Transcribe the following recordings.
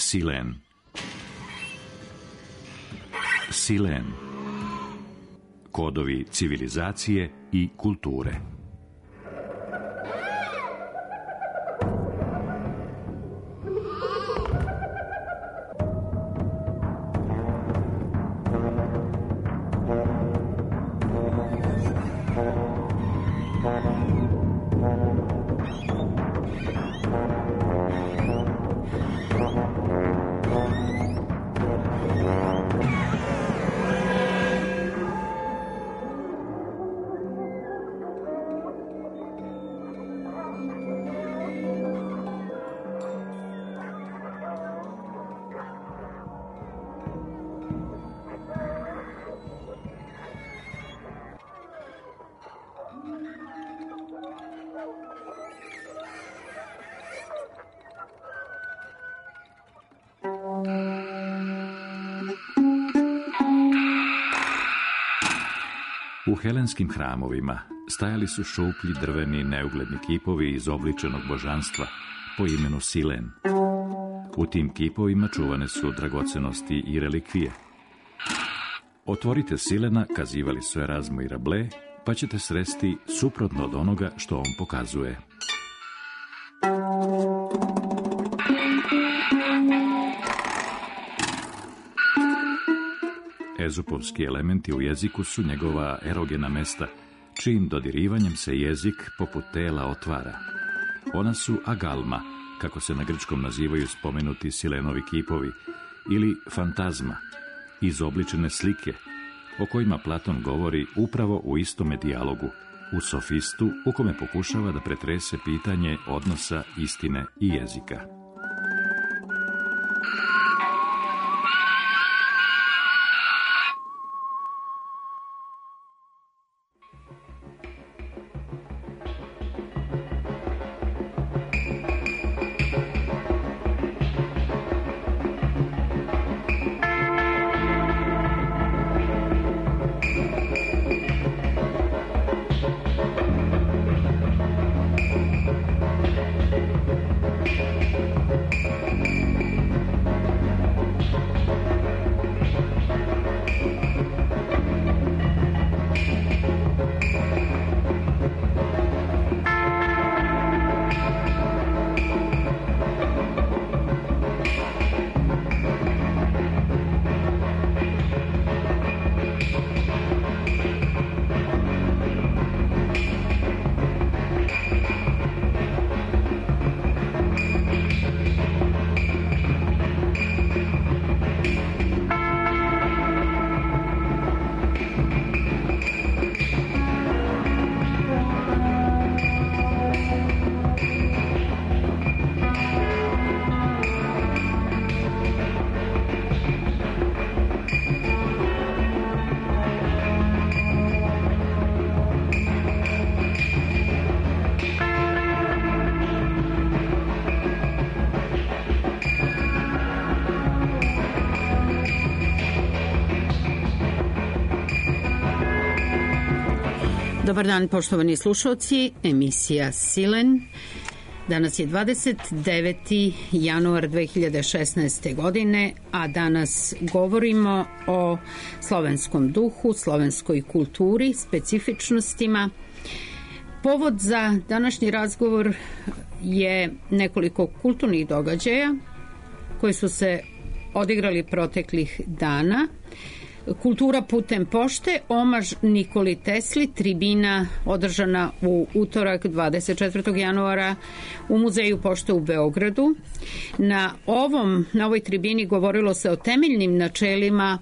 Silen. Silen. Kodovi civilizacije i kulture. U helenskim hramovima stajali su šuplji drveni neugledni kipovi izobličenog božanstva po imenu Silen. U tim kipovima čuvane su dragocenosti i relikvije. Otvorite Silena, kazivali su Erazmo i Rabelais, pa ćete sresti suprotno od onoga što on pokazuje. Ezopovski elementi u jeziku su njegova erogena mesta, čijim dodirivanjem se jezik poput tela otvara. Ona su agalma, kako se na grčkom nazivaju spomenuti Silenovi kipovi, ili fantazma, izobličene slike, o kojima Platon govori upravo u istome dijalogu, u Sofistu, u kome pokušava da pretrese pitanje odnosa istine i jezika. Dobar dan, poštovani slušalci, emisija Silen. Danas je 29. januar 2016. godine, a danas govorimo o slovenskom duhu, slovenskoj kulturi, specifičnostima. Povod za današnji razgovor je nekoliko kulturnih događaja koji su se odigrali proteklih dana. Kultura putem pošte, omaž Nikoli Tesli, tribina održana u utorak 24. januara u Muzeju pošte u Beogradu. Na ovoj tribini govorilo se o temeljnim načelima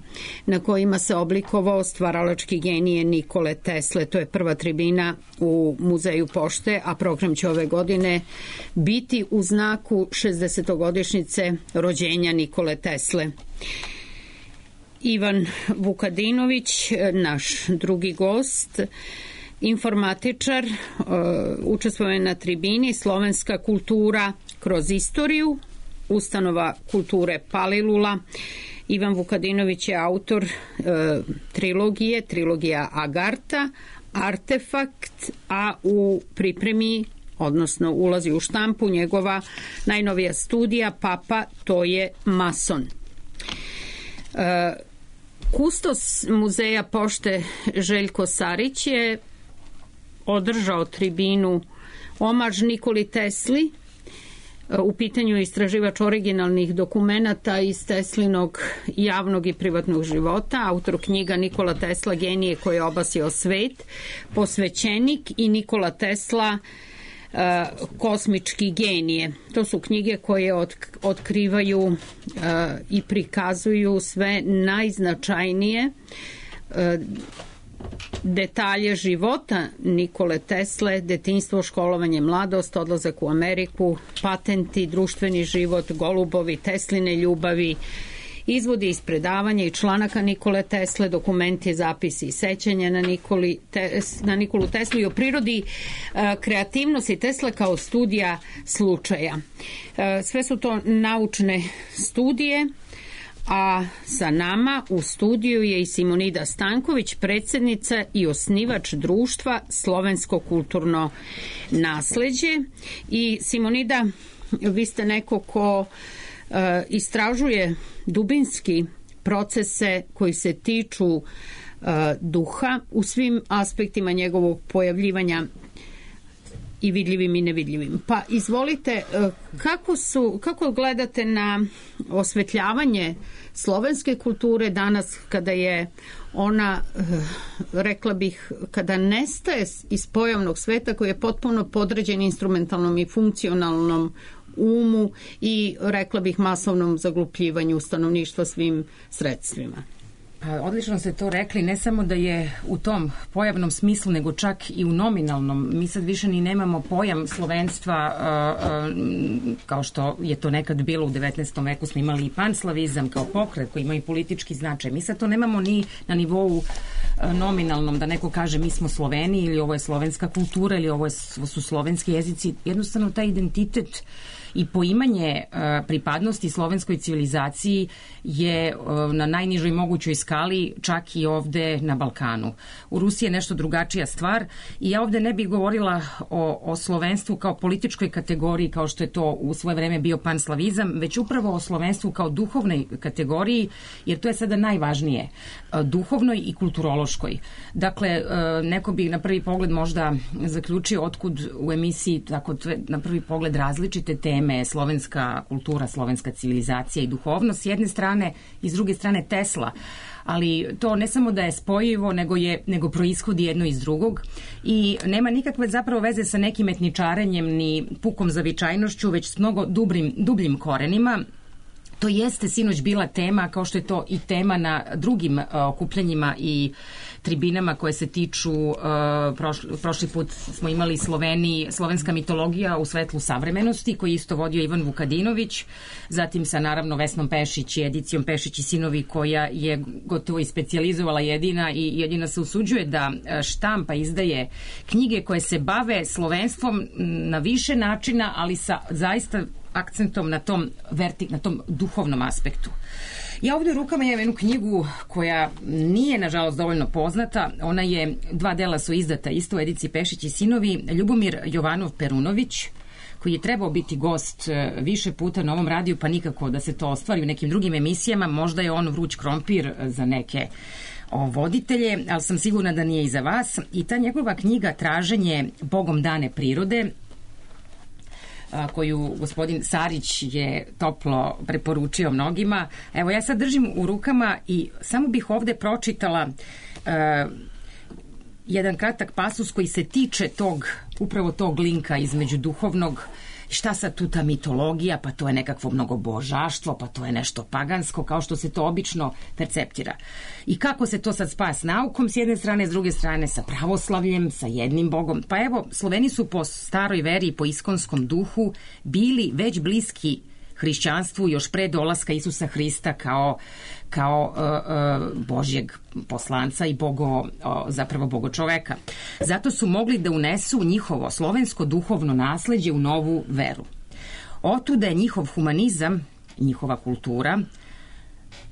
na kojima se oblikovao stvaralački genije Nikole Tesle. To je prva tribina u Muzeju pošte, a program će ove godine biti u znaku 60-godišnjice rođenja Nikole Tesle. Ivan Vukadinović, naš drugi gost, informatičar, učestvuje na tribini Slovenska kultura kroz istoriju, ustanova kulture Palilula. Ivan Vukadinović je autor trilogija Agarta, Artefakt, a u pripremi odnosno ulazi u štampu njegova najnovija studija Papa, to je mason. Kustos muzeja pošte Željko Sarić je održao tribinu omaž Nikoli Tesli. U pitanju je istraživač originalnih dokumenata iz Teslinog javnog i privatnog života, autor knjiga Nikola Tesla, genije koji je obasio svet, posvećenik i Nikola Tesla, kosmički genije. To su knjige koje otkrivaju i prikazuju sve najznačajnije detalje života Nikole Tesle, detinjstvo, školovanje, mladost, odlazak u Ameriku, patenti, društveni život, golubovi, Tesline ljubavi, izvodi iz predavanja i članaka Nikole Tesle, dokumenti, zapisi i sećanja na Nikolu Teslu i o prirodi kreativnosti Tesle kao studija slučaja. Sve su to naučne studije, a sa nama u studiju je i Simonida Stanković, predsjednica i osnivač društva Slovensko kulturno nasleđe. I Simonida, vi ste neko ko istražuje dubinski procese koji se tiču duha u svim aspektima njegovog pojavljivanja i vidljivim i nevidljivim. Pa izvolite, kako gledate na osvetljavanje slovenske kulture danas kada je ona, rekla bih, kada nestaje iz pojavnog sveta koji je potpuno podređen instrumentalnom i funkcionalnom umu i, rekla bih, masovnom zaglupljivanju stanovništva svim sredstvima? Odlično ste to rekli, ne samo da je u tom pojavnom smislu, nego čak i u nominalnom. Mi sad više ni nemamo pojam slovenstva kao što je to nekad bilo u 19. veku. Smo imali i panslavizam kao pokret koji ima i politički značaj. Mi sad to nemamo ni na nivou nominalnom, da neko kaže mi smo Sloveni ili ovo je slovenska kultura ili ovo su slovenski jezici. Jednostavno taj identitet i poimanje pripadnosti slovenskoj civilizaciji je na najnižoj mogućoj skali, čak i ovde na Balkanu. U Rusiji je nešto drugačija stvar i ja ovde ne bih govorila o slovenstvu kao političkoj kategoriji, kao što je to u svoje vreme bio panslavizam, već upravo o slovenstvu kao duhovnoj kategoriji, jer to je sada najvažnije, duhovnoj i kulturološkoj. Dakle, neko bi na prvi pogled možda zaključio otkud u emisiji tako na prvi pogled različite teme, slovenska kultura, slovenska civilizacija i duhovnost s jedne strane i s druge strane Tesla. Ali to ne samo da je spojivo, nego proishodi jedno iz drugog i nema nikakve zapravo veze sa nekim etničarenjem ni pukom zavičajnošću, već s mnogo dubljim korenima. To jeste sinoć bila tema, kao što je to i tema na drugim okupljanjima i tribinama koje se tiču, prošli put smo imali slovenska mitologija u svetlu savremenosti, koji isto vodio Ivan Vukadinović, zatim sa naravno Vesnom Pešić i edicijom Pešić i sinovi, koja je gotovo i specijalizovala jedina se usuđuje da štampa, izdaje knjige koje se bave slovenstvom na više načina, ali sa zaista akcentom na tom duhovnom aspektu. Ja ovdje u rukama imam jednu knjigu koja nije, nažalost, dovoljno poznata. Ona je, 2 dela su izdata isto u ediciji Pešić i sinovi. Ljubomir Jovanov Perunović, koji je trebao biti gost više puta na ovom radiju, pa nikako da se to ostvari u nekim drugim emisijama. Možda je on vruć krompir za neke voditelje, ali sam sigurna da nije i za vas. I ta njegova knjiga Traženje Bogom dane prirode, koju gospodin Sarić je toplo preporučio mnogima. Evo, ja sad držim u rukama i samo bih ovde pročitala jedan kratak pasus koji se tiče upravo tog linka između duhovnog. Šta sad tu ta mitologija, pa to je nekakvo mnogobožaštvo, pa to je nešto pagansko, kao što se to obično perceptira. I kako se to sad spaja s naukom s jedne strane, s druge strane sa pravoslavljem, sa jednim bogom. Pa evo, Sloveni su po staroj veri i po iskonskom duhu bili već bliski hrišćanstvu još pre dolaska Isusa Hrista kao Božjeg poslanca i zapravo bogočoveka. Zato su mogli da unesu njihovo slovensko duhovno nasleđe u novu veru. Otuda je njihov humanizam, njihova kultura,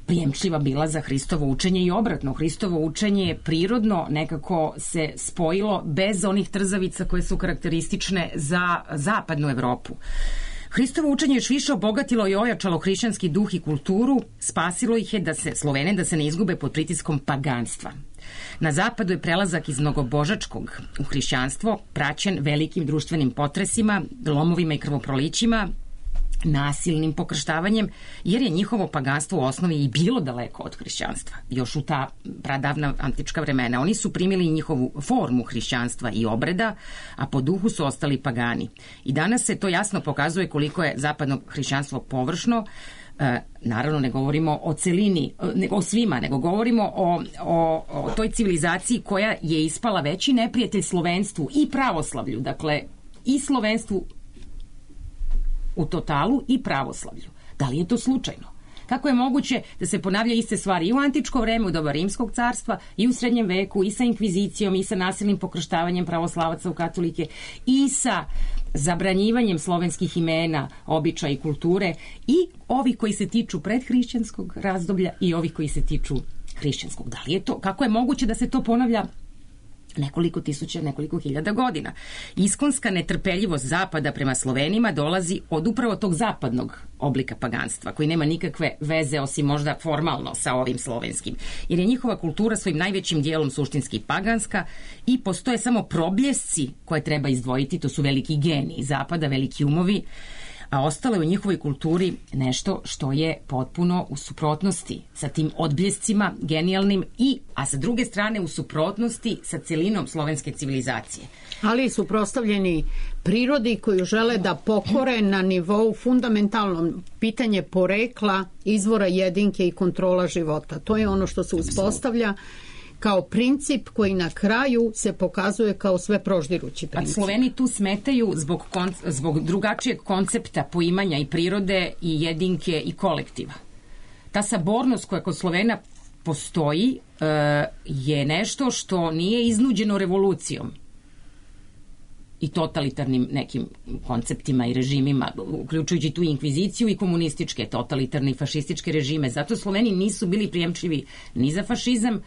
prijemčiva bila za Hristovo učenje i obratno. Hristovo učenje je prirodno nekako se spojilo bez onih trzavica koje su karakteristične za zapadnu Evropu. Hristovo učenje još više obogatilo i ojačalo hrišćanski duh i kulturu, spasilo ih je Slovene da se ne izgube pod pritiskom paganstva. Na zapadu je prelazak iz mnogobožačkog u hrišćanstvo praćen velikim društvenim potresima, lomovima i krvoprolićima, nasilnim pokrštavanjem, jer je njihovo paganstvo u osnovi i bilo daleko od hrišćanstva, još u ta pradavna antička vremena. Oni su primili njihovu formu hrišćanstva i obreda, a po duhu su ostali pagani. I danas se to jasno pokazuje koliko je zapadno hrišćanstvo površno. Naravno, ne govorimo o celini, o svima, nego govorimo o toj civilizaciji koja je ispala veći neprijatelj slovenstvu i pravoslavlju, dakle i slovenstvu u totalu i pravoslavlju. Da li je to slučajno? Kako je moguće da se ponavlja iste stvari i u antičko vreme, u doba Rimskog carstva, i u srednjem veku, i sa inkvizicijom, i sa nasilnim pokrštavanjem pravoslavaca u katolike, i sa zabranjivanjem slovenskih imena, običaja i kulture, i ovi koji se tiču predhrišćanskog razdoblja i ovi koji se tiču hrišćanskog. Da li je to? Kako je moguće da se to ponavlja nekoliko tisuća, nekoliko hiljada godina? Iskonska netrpeljivost zapada prema Slovenima dolazi od upravo tog zapadnog oblika paganstva, koji nema nikakve veze osim možda formalno sa ovim slovenskim. Jer je njihova kultura svojim najvećim dijelom suštinski paganska i postoje samo probljesci koje treba izdvojiti, to su veliki geniji zapada, veliki umovi, a ostalo je u njihovoj kulturi nešto što je potpuno u suprotnosti sa tim odbljescima genijalnim a sa druge strane u suprotnosti sa celinom slovenske civilizacije. Ali suprotstavljeni prirodi koju žele da pokore na nivou fundamentalnom pitanje porekla, izvora jedinke i kontrola života. To je ono što se uspostavlja kao princip koji na kraju se pokazuje kao sve proždirući princip. A Sloveni tu smetaju zbog drugačijeg koncepta poimanja i prirode i jedinke i kolektiva. Ta sabornost koja kod Slovena postoji je nešto što nije iznuđeno revolucijom i totalitarnim nekim konceptima i režimima, uključujući tu inkviziciju i komunističke, totalitarne i fašističke režime. Zato Sloveni nisu bili prijemčivi ni za fašizam,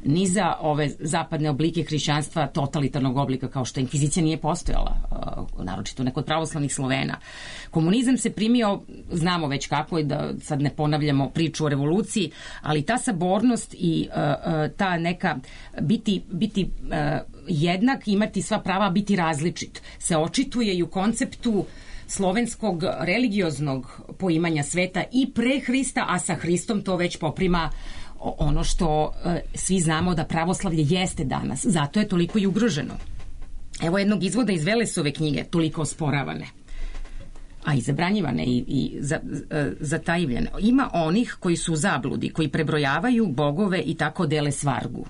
ni za ove zapadne oblike hrišćanstva totalitarnog oblika, kao što inkvizicija nije postojala, naročito ne kod pravoslavnih Slovena. Komunizam se primio, znamo već kako je, da sad ne ponavljamo priču o revoluciji, ali ta sabornost i ta neka biti jednak, imati sva prava, biti različit, se očituje i u konceptu slovenskog religioznog poimanja sveta i pre Hrista, a sa Hristom to već poprima ono što svi znamo da pravoslavlje jeste danas. Zato je toliko i ugroženo. Evo jednog izvoda iz Velesove knjige, toliko osporavane, a i zabranjivane i zatajivljene. Ima onih koji su u zabludi, koji prebrojavaju bogove i tako dele svargu.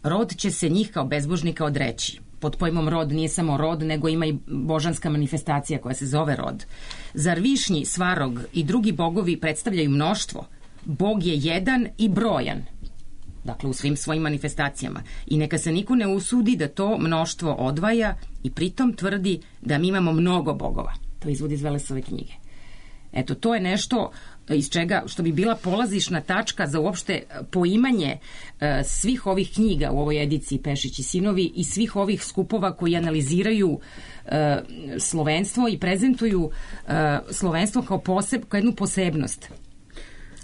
Rod će se njih kao bezbožnika odreći. Pod pojmom rod nije samo rod, nego ima i božanska manifestacija koja se zove rod. Zar Višnji, Svarog i drugi bogovi predstavljaju mnoštvo? Bog je jedan i brojan, dakle u svim svojim manifestacijama, i neka se niko ne usudi da to mnoštvo odvaja i pritom tvrdi da mi imamo mnogo bogova. To izvodi iz Velesove knjige. Eto, to je nešto iz čega, što bi bila polazišna tačka za uopšte poimanje svih ovih knjiga u ovoj ediciji Pešić i sinovi i svih ovih skupova koji analiziraju slovenstvo i prezentuju slovenstvo kao jednu posebnost.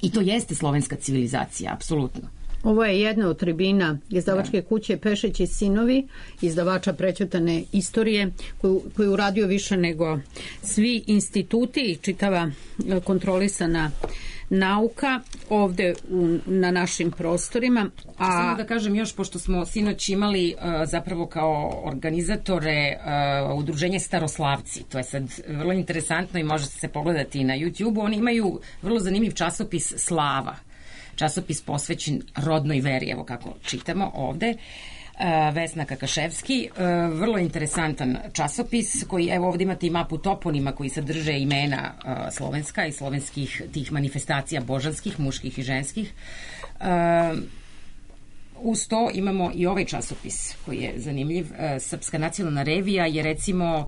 I to jeste slovenska civilizacija, apsolutno. Ovo je jedna od tribina izdavačke kuće Pešić i sinovi, izdavača Prećutane istorije, koju uradio više nego svi instituti i čitava kontrolisana nauka ovde na našim prostorima. Samo da kažem još, pošto smo sinoć imali zapravo kao organizatore udruženje Staroslavci, to je sad vrlo interesantno i možete se pogledati na YouTube-u, oni imaju vrlo zanimljiv časopis Slava, časopis posvećen rodnoj veri, evo kako čitamo ovde, Vesna Kakaševski, vrlo interesantan časopis koji, evo ovdje imate i mapu toponima koji sadrže imena slovenska i slovenskih tih manifestacija božanskih, muških i ženskih. Uz to imamo i ovaj časopis koji je zanimljiv. Srpska nacionalna revija je recimo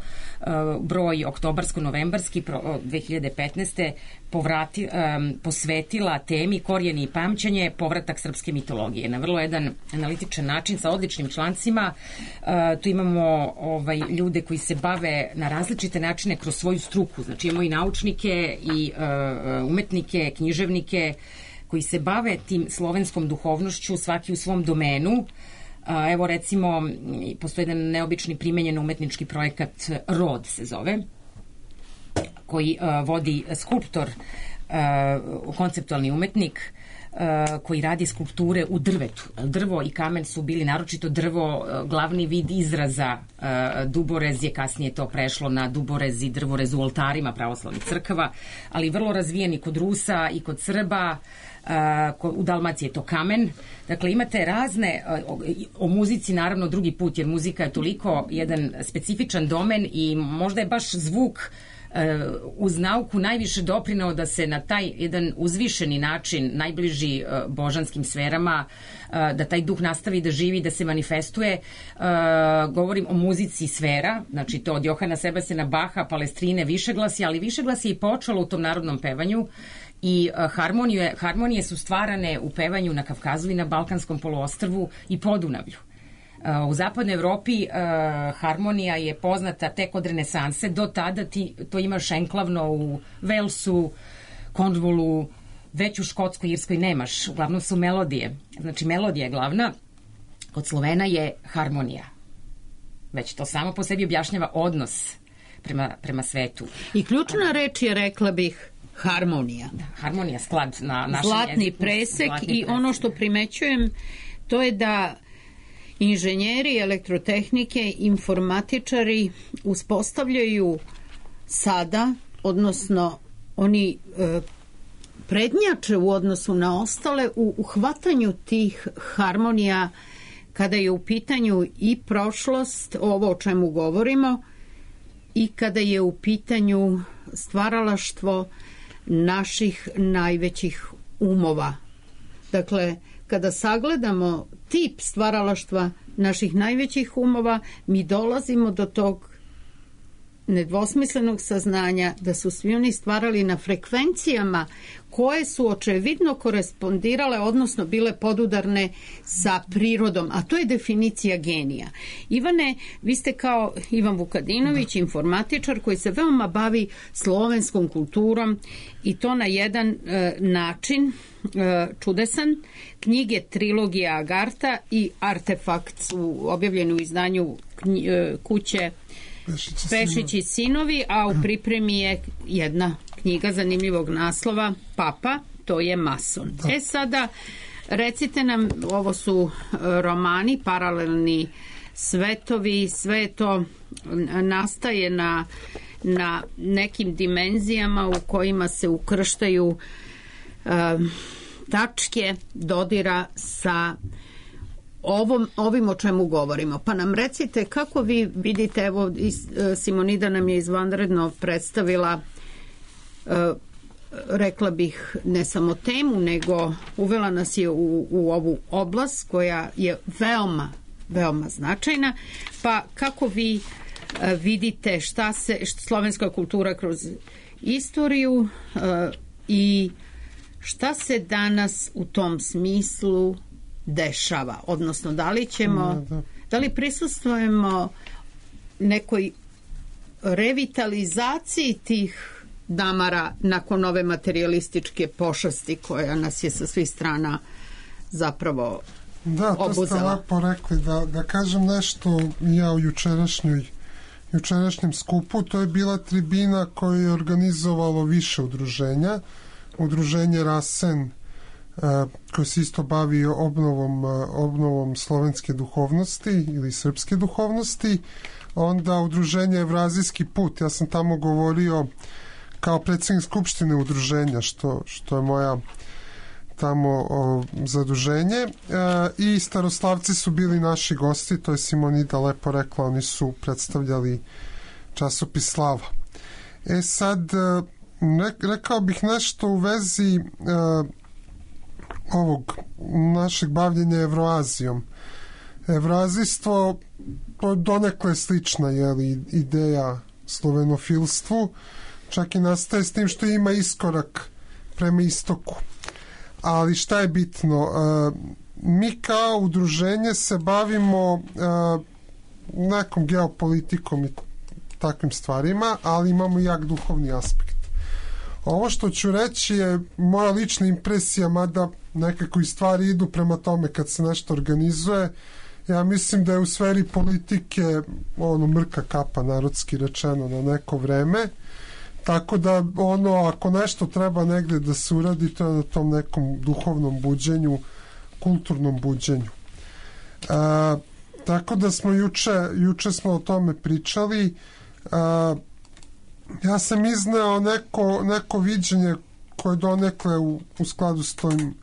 broj oktobarsko-novembarski 2015. Posvetila temi Korijeni i pamćenje, povratak srpske mitologije. Na vrlo jedan analitičan način sa odličnim člancima. Tu imamo ljude koji se bave na različite načine kroz svoju struku. Znači imamo i naučnike i umetnike, književnike koji se bave tim slovenskom duhovnošću, svaki u svom domenu. Evo recimo, postoji jedan neobični primenjen umetnički projekat Rod se zove, koji vodi skulptor, konceptualni umetnik, koji radi skulpture u drvetu. Drvo i kamen su bili, naročito drvo, glavni vid izraza. Duborez je kasnije to prešlo na duborez i drvorez u oltarima pravoslavnih crkava, ali vrlo razvijeni kod Rusa i kod Srba. U Dalmaciji je to kamen. Dakle, imate razne, o muzici naravno drugi put, jer muzika je toliko jedan specifičan domen i možda je baš zvuk uz nauku najviše doprineo da se na taj jedan uzvišeni način, najbliži božanskim sferama, da taj duh nastavi da živi, da se manifestuje. Govorim o muzici sfera, znači to od Johana Sebastiana Baha, Palestrine, višeglasje, ali višeglasje je i počelo u tom narodnom pevanju i harmonije su stvarane u pevanju na Kavkazu i na Balkanskom poluostrvu i Podunavlju. U zapadnoj Evropi harmonija je poznata tek od renesanse, do tada to imaš enklavno u Velsu, Cornwallu, već u Škotskoj, Irskoj nemaš, uglavnom su melodije, znači melodija je glavna, kod Slovena je harmonija, već to samo po sebi objašnjava odnos prema svetu. I ključna reč je, rekla bih, harmonija. Harmonija, sklad na našem zlatni jeziku. Presek i ono što primećujem, to je da inženjeri elektrotehnike, informatičari uspostavljaju sada, odnosno oni prednjače u odnosu na ostale u uhvatanju tih harmonija kada je u pitanju i prošlost, ovo o čemu govorimo, i kada je u pitanju stvaralaštvo naših najvećih umova. Dakle, kada sagledamo tip stvaralaštva naših najvećih umova, mi dolazimo do tog nedvosmislenog saznanja da su svi oni stvarali na frekvencijama koje su očevidno korespondirale, odnosno bile podudarne sa prirodom, a to je definicija genija. Ivane, vi ste kao Ivan Vukadinović, informatičar koji se veoma bavi slovenskom kulturom i to na jedan način čudesan. Knjige Trilogija Agarta i Artefakt su objavljeni u izdanju kuće Pešić i sinovi, a u pripremi je jedna knjiga zanimljivog naslova, Papa, to je mason. Sada, recite nam, ovo su romani, paralelni svetovi, sve to nastaje na nekim dimenzijama u kojima se ukrštaju tačke dodira sa ovim o čemu govorimo. Pa nam recite kako vi vidite, evo Simonida nam je izvanredno predstavila, rekla bih, ne samo temu, nego uvela nas je u ovu oblast koja je veoma, veoma značajna. Pa kako vi vidite šta se slovenska kultura kroz istoriju i šta se danas u tom smislu dešava, odnosno da li prisustvujemo nekoj revitalizaciji tih damara nakon ove materijalističke pošasti koja nas je sa svih strana zapravo obuzela. Da, to ste lepo rekli. Da kažem nešto ja o jučerašnjem skupu, to je bila tribina koju je organizovalo više udruženja. Udruženje Rasen, koji se isto bavi obnovom slovenske duhovnosti ili srpske duhovnosti, onda udruženje Evrazijski put. Ja sam tamo govorio kao predsjednik skupštine udruženja, što je moja tamo zaduženje, i Staroslavci su bili naši gosti, to je Simonida lepo rekla, oni su predstavljali časopis Slava. Sad rekao bih nešto u vezi ovog našeg bavljenja Evroazijom. Evroazijstvo donekle slična ideja slovenofilstvu, čak i nastaje s tim što ima iskorak prema istoku. Ali šta je bitno? Mi kao udruženje se bavimo nekom geopolitikom i takvim stvarima, ali imamo jak duhovni aspekt. Ovo što ću reći je moja lična impresija, mada nekako i stvari idu prema tome kad se nešto organizuje. Ja mislim da je u sferi politike mrka kapa, narodski rečeno, na neko vreme. Tako da ako nešto treba negde da se uradi, to je na tom nekom duhovnom buđenju, kulturnom buđenju. Tako da smo juče smo o tome pričali. Ja sam izneo neko viđenje koje donekle u skladu s tojim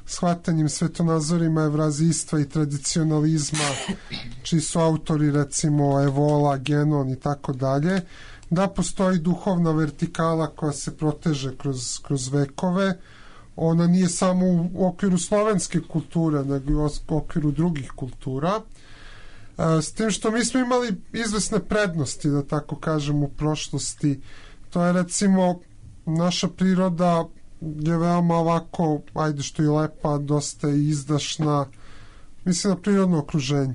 shvatanjem svetonazorima evrazijstva i tradicionalizma, čiji su autori recimo Evola, Genon i tako dalje, da postoji duhovna vertikala koja se proteže kroz vekove. Ona nije samo u okviru slovenske kulture, nego i u okviru drugih kultura. S tim što mi smo imali izvesne prednosti, da tako kažem, u prošlosti. To je recimo naša priroda je veoma ovako, ajde što je lepa, dosta je izdašna, mislim na prirodno okruženje.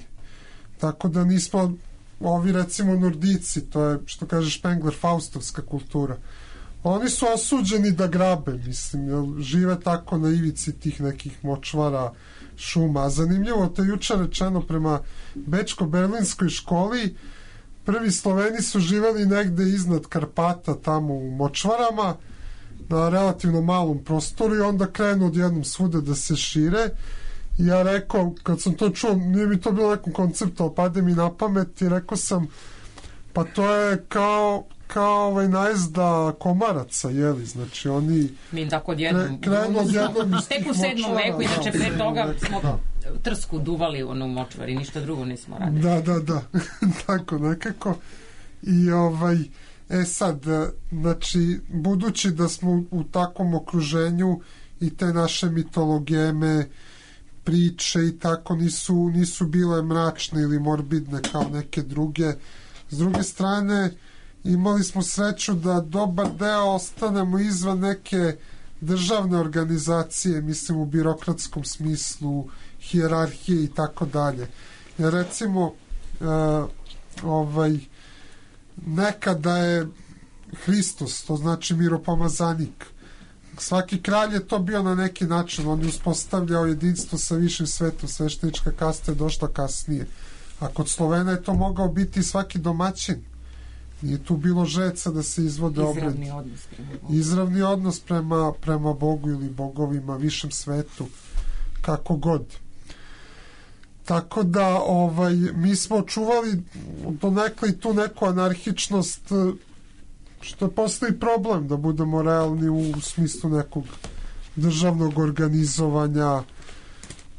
Tako da nismo ovi recimo Nordici, to je što kaže Špengler, faustovska kultura. Oni su osuđeni da grabe, mislim, jer žive tako na ivici tih nekih močvara, šuma. A zanimljivo, to je juče rečeno prema Bečko-berlinskoj školi, prvi Sloveni su živeli negde iznad Karpata, tamo u močvarama, na relativno malom prostoru i onda krenu odjednom svuda da se šire. I ja rekao, kad sam to čuo, nije mi to bilo nekom konceptu, ali pade mi na pamet i rekao sam, pa to je kao najezda komaraca, jeli, znači oni mi tako odjednom tek u 7. veku, inače pre toga smo trsku duvali u močvari, ništa drugo nismo radili. Da, tako nekako. I sad, znači, budući da smo u takvom okruženju i te naše mitologeme, priče i tako nisu bile mračne ili morbidne kao neke druge. S druge strane, imali smo sreću da dobar deo ostanemo izvan neke državne organizacije, mislim u birokratskom smislu, hijerarhije i tako dalje. Jer recimo nekada je Hristos, to znači miropomazanik. Svaki kralj je to bio na neki način, on je uspostavljao jedinstvo sa višim svetom, sveštenička kasta je došla kasnije. A kod Slovena je to mogao biti svaki domaćin. Nije tu bilo žeca da se izvode obredi. Izravni odnos prema Bogu ili bogovima, višem svetu, kako god. Tako da mi smo čuvali donekle i tu neku anarhičnost, što postoji problem da budemo realni u smislu nekog državnog organizovanja.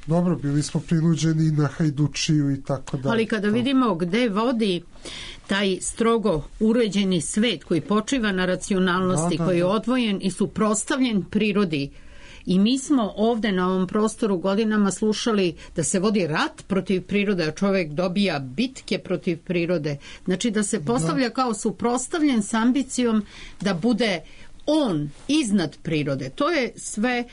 Dobro, bili smo prinuđeni na hajdučiju i tako dalje. Ali kada vidimo gde vodi taj strogo uređeni svet koji počiva na racionalnosti, koji je odvojen i suprotstavljen prirodi, i mi smo ovde na ovom prostoru godinama slušali da se vodi rat protiv prirode, a čovjek dobija bitke protiv prirode. Znači da se postavlja kao suprotstavljen s ambicijom da bude on iznad prirode. To je sve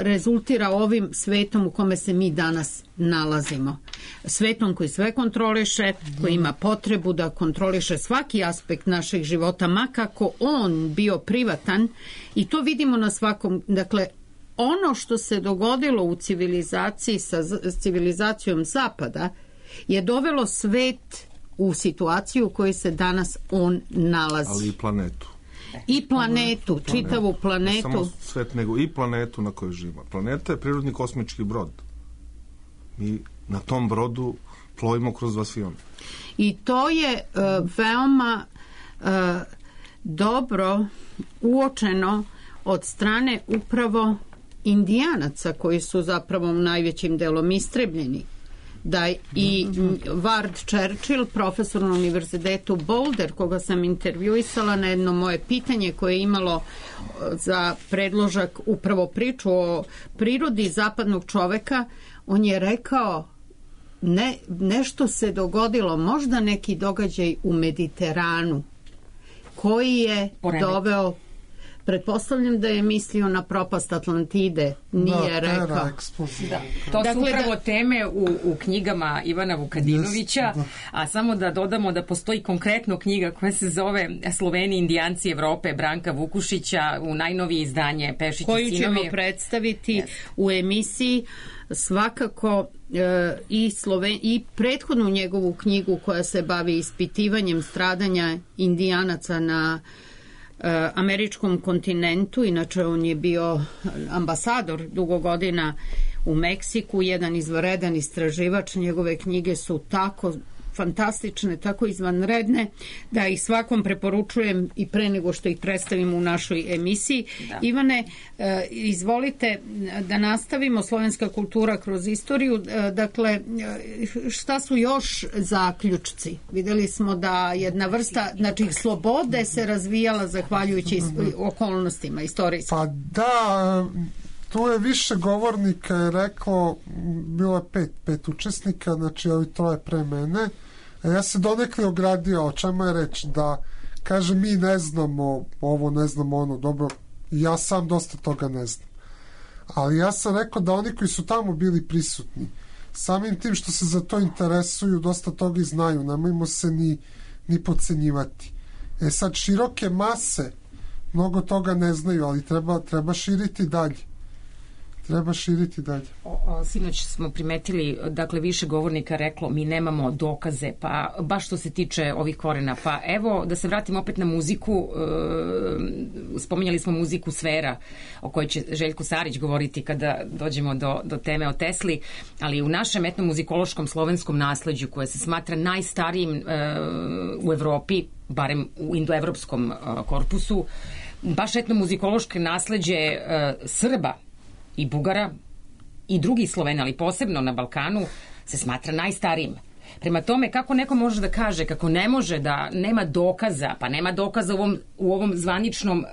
rezultira ovim svetom u kome se mi danas nalazimo. Svetom koji sve kontroliše, koji ima potrebu da kontroliše svaki aspekt našeg života, makako on bio privatan, i to vidimo na svakom, dakle, ono što se dogodilo u civilizaciji sa civilizacijom Zapada je dovelo svet u situaciju u kojoj se danas on nalazi. Ali i planetu. I planetu, čitavu planetu. Ne samo svet, nego i planetu na kojoj živimo. Planeta je prirodni kosmički brod. Mi na tom brodu plovimo kroz vasione. I to je veoma dobro uočeno od strane upravo Indijanaca, koji su zapravo najvećim delom istrebljeni. da i Ward Churchill, profesor na univerzitetu Boulder, koga sam intervjuisala na jedno moje pitanje koje je imalo za predložak upravo priču o prirodi zapadnog čoveka, on je rekao nešto se dogodilo, možda neki događaj u Mediteranu koji je doveo, pretpostavljam da je mislio na propast Atlantide, nije rekao. Da. To su upravo teme u knjigama Ivana Vukadinovića, a samo da dodamo da postoji konkretno knjiga koja se zove Sloveni indijanci Evrope Branka Vukušića, u najnovije izdanje Pešić i sinovi. Koju ćemo predstaviti u emisiji. Svakako i prethodnu njegovu knjigu koja se bavi ispitivanjem stradanja indijanaca na američkom kontinentu, inače on je bio ambasador dugo godina u Meksiku, jedan izvanredan istraživač, njegove knjige su tako fantastične, tako izvanredne, da ih svakom preporučujem i pre nego što ih predstavimo u našoj emisiji. Da. Ivane, izvolite da nastavimo slovenska kultura kroz istoriju. Dakle, šta su još zaključci? Videli smo da jedna vrsta, znači slobode se razvijala zahvaljujući okolnostima istorijskim. Pa da, tu je više govornika je reklo, bilo je pet učesnika, znači ovi troje pre mene. Ja se donekle ogradio, o čemu je reč, da kaže mi ne znamo ovo, ne znamo ono, dobro, ja sam dosta toga ne znam. Ali ja sam rekao da oni koji su tamo bili prisutni, samim tim što se za to interesuju, dosta toga i znaju, nemojmo se ni podcenjivati. Sad, široke mase mnogo toga ne znaju, ali treba širiti dalje. Sinoć smo primetili, dakle, više govornika reklo mi nemamo dokaze, pa baš što se tiče ovih korena. Pa evo, da se vratim opet na muziku, spominjali smo muziku sfera, o kojoj će Željko Sarić govoriti kada dođemo do teme o Tesli, ali u našem etnomuzikološkom slovenskom nasleđu, koje se smatra najstarijim u Evropi, barem u indoevropskom korpusu, baš etnomuzikološko nasleđe Srba i Bugara i drugih Slovena, ali posebno na Balkanu, se smatra najstarijim. Prema tome, kako neko može da kaže, kako ne može da nema dokaza, pa nema dokaza u ovom zvaničnom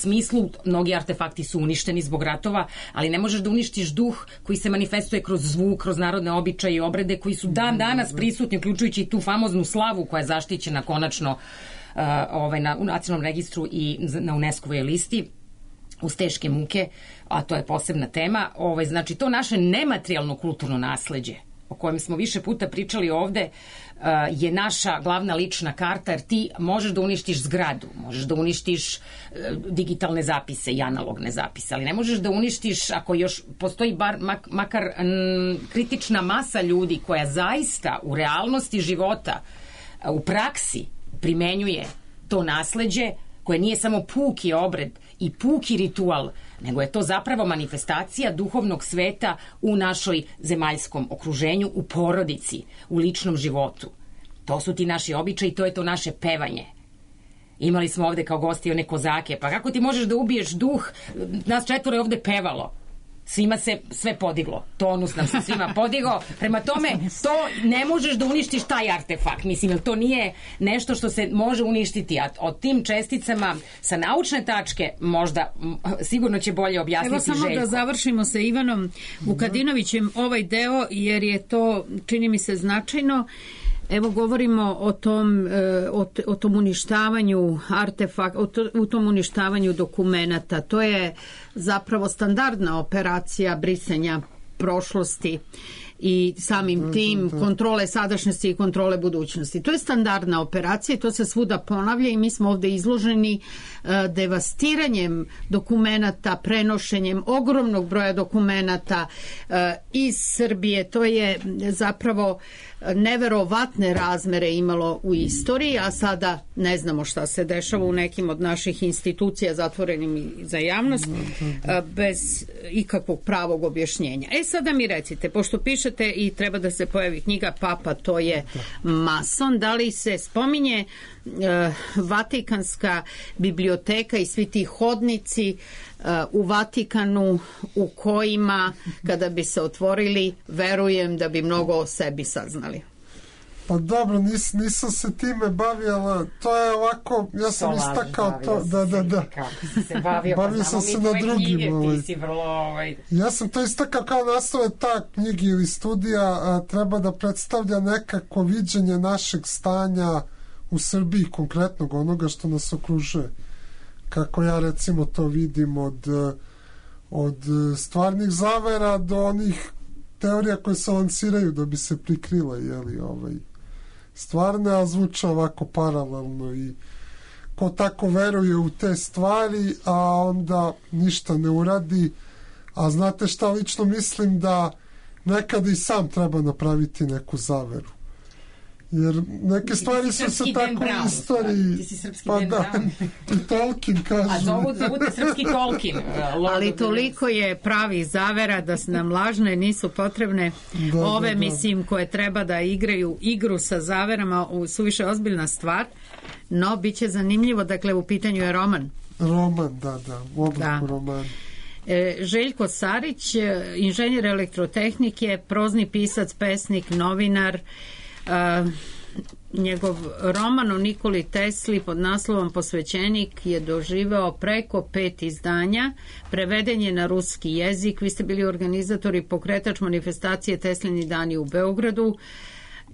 smislu, mnogi artefakti su uništeni zbog ratova, ali ne možeš da uništiš duh koji se manifestuje kroz zvuk, kroz narodne običaje i obrede koji su dan danas prisutni, uključujući i tu famoznu slavu koja je zaštićena konačno u nacionalnom registru i na UNESCO-voj listi, uz teške muke, a to je posebna tema. Znači, to naše nematerijalno kulturno nasleđe, o kojem smo više puta pričali ovde, je naša glavna lična karta, jer ti možeš da uništiš zgradu, možeš da uništiš digitalne zapise i analogne zapise, ali ne možeš da uništiš, ako još postoji makar kritična masa ljudi koja zaista u realnosti života, u praksi primenjuje to nasleđe, koje nije samo puki obred i puki ritual, nego je to zapravo manifestacija duhovnog sveta u našoj zemaljskom okruženju, u porodici, u ličnom životu. To su ti naši običaji, to je to naše pevanje. Imali smo ovde kao gosti one kozake, pa kako ti možeš da ubiješ duh? Nas 4 je ovde pevalo. Svima se sve podiglo. Tonus nam se svima podigao. Prema tome, to ne možeš da uništiš taj artefakt. Mislim, jer to nije nešto što se može uništiti. A o tim česticama sa naučne tačke možda sigurno će bolje objasniti Željko. Evo samo da završimo sa Ivanom Vukadinovićem ovaj deo, jer je to, čini mi se, značajno. Evo govorimo o tom uništavanju o tom uništavanju dokumenata. To je zapravo standardna operacija brisanja prošlosti i samim tim kontrole sadašnjosti i kontrole budućnosti. To je standardna operacija i to se svuda ponavlja i mi smo ovde izloženi devastiranjem dokumenata, prenošenjem ogromnog broja dokumenata iz Srbije. To je zapravo neverovatne razmere imalo u istoriji, a sada ne znamo šta se dešava u nekim od naših institucija zatvorenim za javnost bez ikakvog pravog objašnjenja. Sada mi recite, pošto pišete pišete i treba da se pojavi knjiga Papa, to je mason. Da li se spominje Vatikanska biblioteka i svi ti hodnici u Vatikanu u kojima kada bi se otvorili, verujem da bi mnogo o sebi saznali? Pa dobro, nisam se time bavila, to je ovako, ja sam istakao to, da. Kako si se bavio, bavio sam se na drugim. Ti si vrlo, Ja sam to istakao kao naslove ta knjigi ili studija treba da predstavlja nekako viđenje našeg stanja u Srbiji, konkretnog onoga što nas okružuje. Kako ja recimo to vidim od stvarnih zavera do onih teorija koje se lansiraju da bi se prikrile, stvarne, a zvuče ovako paralelno i ko tako veruje u te stvari, a onda ništa ne uradi. A znate šta, lično mislim da nekada i sam treba napraviti neku zaveru. Jer neke stvari su se tako u istoriji... Ti si srpski Dan Brown. I Tolkien kaže. A zovu te srpski Tolkien. Ali toliko je pravi zavera da nam lažne nisu potrebne. Ove, mislim, koje treba da igraju igru sa zaverama, suviše ozbiljna stvar, no bit će zanimljivo. Dakle, u pitanju je roman. Roman, u obliku romana. Željko Sarić, inženjer elektrotehnike, prozni pisac, pesnik, novinar. Njegov roman o Nikoli Tesli pod naslovom Posvećenik je doživeo preko 5 izdanja, preveden je na ruski jezik. Vi ste bili organizator i pokretač manifestacije Teslini dani u Beogradu